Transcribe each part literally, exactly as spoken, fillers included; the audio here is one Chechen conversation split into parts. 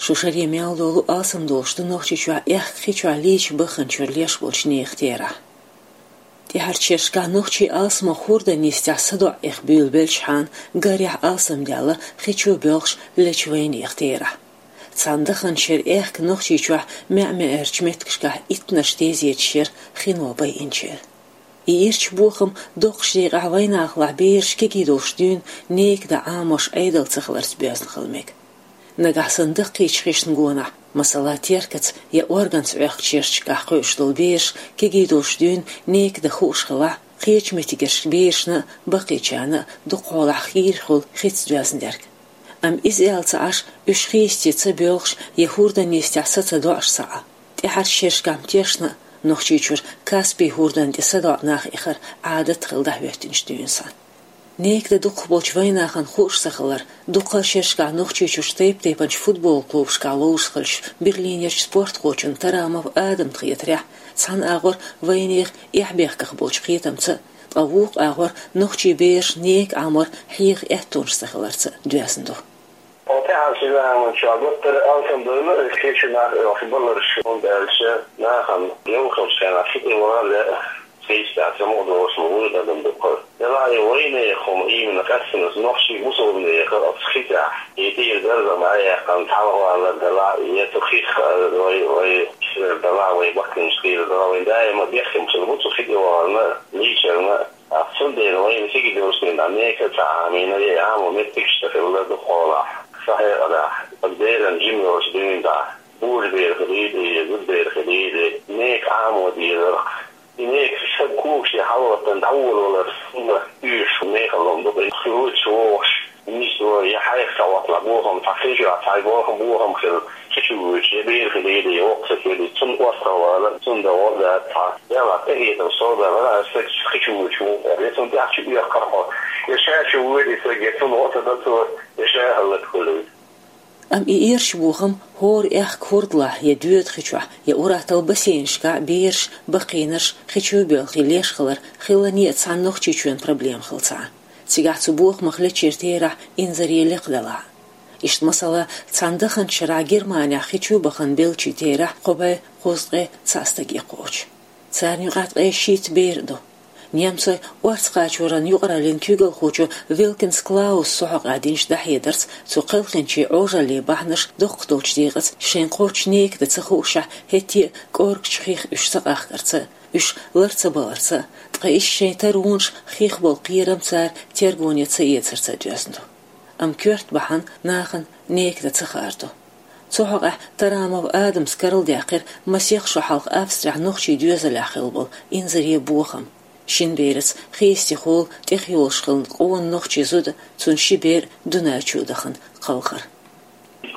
Шу шаре мел долу алсам долуш ду Нохчийчохь аьхка хи чохь лийча баханчуьра леш болчу нехан терахь. ТӀаьхьарчу шерашкахь нохчийн алсамох хӀордан йистехь садоӀа эха буьйлабелчхьана, гарехь алсам даьлла хи чу боьлхуш лечу вайнехан терахь. Цхьана даханчу шеран аьхка Нохчийчохь маьӀ-маьӀӀерчу меттигашкахь иттаннаш тезеташ яра хино байинчеран. И ирча бохам доккхачу декъехь вайнахалахь бераш кегий долуш дуьйна нека дан Ӏамош Ӏедал ца хиларца боьзна хила мега. Нагахь санна даккхийчу хишна гонахь, масала, теркаца я органца Ӏохкучу шерашкахь кхуьуш долу бераш кегий долуш дуьйна нека дан хууш хилахь, кхечу меттигерчу берашна а, баккхийчарна а дукхахьолахь хийра хуьлу хица доьзна дерг. Амма иза аьлла ца Ӏаш, уьш хи йисте ца боьлхуш я хӀордан йистехь са ца доӀуш ца Ӏа. ТӀаьхьарчу шерашкахь тешна а, Нохчийчуьра Каспий хӀордан тӀе садоӀа нах эхар Ӏадат хилла дӀахӀоьттинчу дуьйна санна. Нека дан дукхахболчу вайнахана хууш ца хилар, дуккха а шерашкахь Нохчийчуьрчу тайп-тайпанчу футбол клубашкахь ловзуш хиллачу Берлинерчу спортхочун Тарамов Адамна хетарехь, цхьана агӀор вайнехан эхь-бехках болчу кхетамца а, ткъа вукху агӀор нохчийн бераш нека Ӏамор хьеха аьттонаш ца хиларца а доьзна ду. Оцу тӀаьхьарчу заманчохь гуттар а алсам бевлла, кхечу нах оьхуш баларш, хӀунда аьлча нахана йовхалчу хенахь хи тӀе вала лаьа, цхьа йистехь ца ма долуш ма вуй адам дуккха. Делахь и вайнехан хӀума иймина къаьстина нохчийн бусалба нехан оцу хи тӀехь, и тӀера даржам дӀаяьккхина, цхьалха валар делахь, я цу хих, вай, вай, делахь, вай баккхинчу тӀера делахь, вайн даима бехкам хилла бу цу хи тӀе вахарна, лийчарна. Цундела вайна кегий долуш дина нека ца Ӏамийна, я Ӏамо меттигаш ца хилла дукхахьолахь, сан хьекъалехь, аса беран жима йолчу дуьйна тӀехь, божабер хилийла, зудабер хилийла, нека Ӏамо дезарх. И нека сан когаш я хьалаваттан дӀаволавалар, хӀума уьйш мехала хӀума ду, хи вуьйцуш вогӀуш, нисдо, я хьайх ца хӀотталахь бохам, цхьа хи чохь цхьа болх бохам хилла, хи чу вуьйцуш, я бер хилийла, я воккха стаг хилийла, цунна орцах вала, цунна дан гӀо дац цхьа. Делахь тӀехетар со дан вара, аса стаг хи чу вуьйцуш ву аьлла, я цунна тӀехь чу оьхкур хьо, я ша чу вуьйла и стаг, я цунна гӀо ца дан цо, я ша хӀаллакьхуьлу. Амма и ирча бохам хӀора аьхка хӀордалахь я доьда хи чохь, я ур-атталла бассейнашкахь бераш, баккхийнарш хи чу боьлхий леш хилар хилане а цхьана Нохчийчоьнан проблема хилла ца Ӏа. Цигахь цу бохамах лечуьйтура терахь инзаре лекха делахь а. Иштта, масала, цхьана даханчу шарахь Германехь хи чу бахана беллачийн терахь кхо бӀе кхузткъе цхьаъ стаге кхочу. Царна юкъахь ткъе шийтта бер а ду. Немцойн орцакхачоран юкъараллин куьйгалхочо Вилкинс Клауса цу хьокъехь динчу дӀахьедарца, цу кхелхинчийн Ӏожаллин бахьанаш доккха долчу декъаца, шайн кхоччуш нека дан ца хуушшехь, хӀетте а кӀоргачу хих уьш ца къахкарца а, уьш лар ца баларца а, ткъа иштта шайн таронаш, хих болу кхерам цара тергоне ца эцарца а доьзна ду. Амма коьрта бахьана нахана нека дан ца хаар ду. Цу хьокъехь Тарамов Адамас карладаьккхира масех шо хьалха Австрехь нохчийн доьзалехь хилла болу инзаре бохам. Шина бераца хи йисте хилла тӀехйолуш хилла къона нохчийн зуда, цуьнан ши бер Дунайчу дахана кхалхар.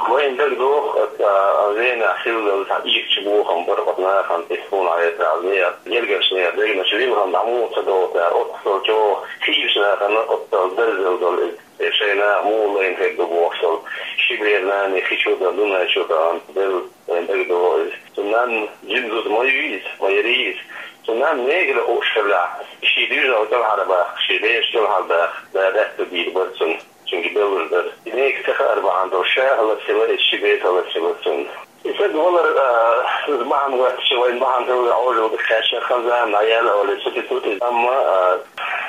Вайна дагадогӀу, оцу Венехь хилла цхьа ирча бохам бара оцу нахана, тӀе суна Ӏетта, гергарчу нехан дегнаш вилхина дӀа муха ца догӀу цара, оццул чӀогӀа хийрачу нахана оццул дарзелла долу иза. Э, шайн наха муха лайна хир ду бохуш долу ши бер нана хи чу дан, Дунай чу дан, делла вайн дагадогӀу иза. Цу нанна жима зуда ма ю иза, ма яра иза. Цу нанна негара хууш хилла, шен дуьйжал кӀелхьарбаккха, шен бераш кӀелхьардаккха, да даьтта дийр бара цунна, цуьнга беллур дара. И нега ца хаар бахьана долуш, ша хӀаллакьхилла, иза ши бер хӀаллакьхилла цунна. И стаг валар, а, иза бахьана гӀоьртича, вайн бахьана хилла Ӏожалла дика кхаьчна, хан зама дӀаяьлла, олий, сутитута иза. Амма, а,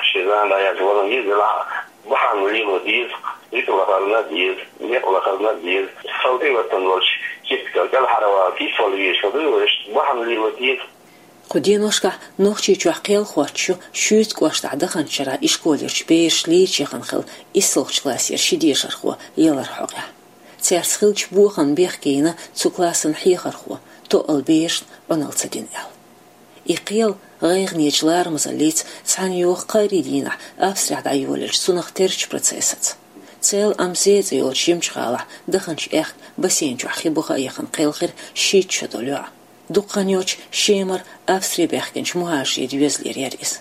шен зама дӀаяьлча валан йиза, делахь бахьана лело деза, дика лахарна а деза, некъ лахарна а деза. Сал тӀеваттан волчу кепкал кӀелхьарвала кийсвала везаш хила дуй вай, иштта бахьана лело деза. Кху деношкахь Нохчийчохь кхел хоттуш ю Шуьйцу кӀоштахь даханчу шарахь ишколерчу бераш лийча яхана хилла иссалгӀачу классера ши дешархо яларан хьокъехь. Цаьрца хиллачу бохамна бехке йина цу классан хьехархо, тоъал берашна Ӏуналла ца дина аьлла. И кхел гӀайгӀанечу ларамазаллица цхьаьна йогӀу кхаарин дийнахь Австрехь дӀайолаелча цунах терчу процессаца. Цел Амзе цӀе йолчу жимачу гӀалахь даханчу аьхка бассейн чохь хи буха а яхана кхелхира шийтта шо долу йоӀ. Дукха хан йоццуш Шемара Австре баьхкинчу мухӀажарийн доьзалера яра иза.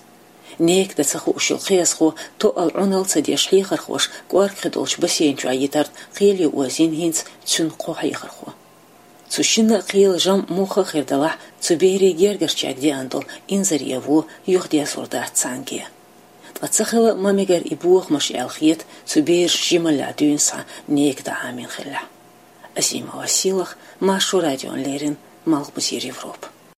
Нека дан ца хууш йолу кхиазхо тоъал Ӏуналла ца деш хьехархоша кӀоргхи долчу бассейн чохь йитарна кхеле озийна хӀинца цуьнан кхо хьехархо. Цу шинна а кхелан жамӀ муха а хир далахь, цу берийн гергарчаьрга деана долу инзаре вон юхадерзор дац цхьаьнгге. Ткъа ца хила а ма мегара и бохамаш аьлла хета цу берашна жималлехь дуьйна схьа нека дан Ӏамийна хиллехь. Азимова Силах, Маршо радион леррин, Малгобузир Европа.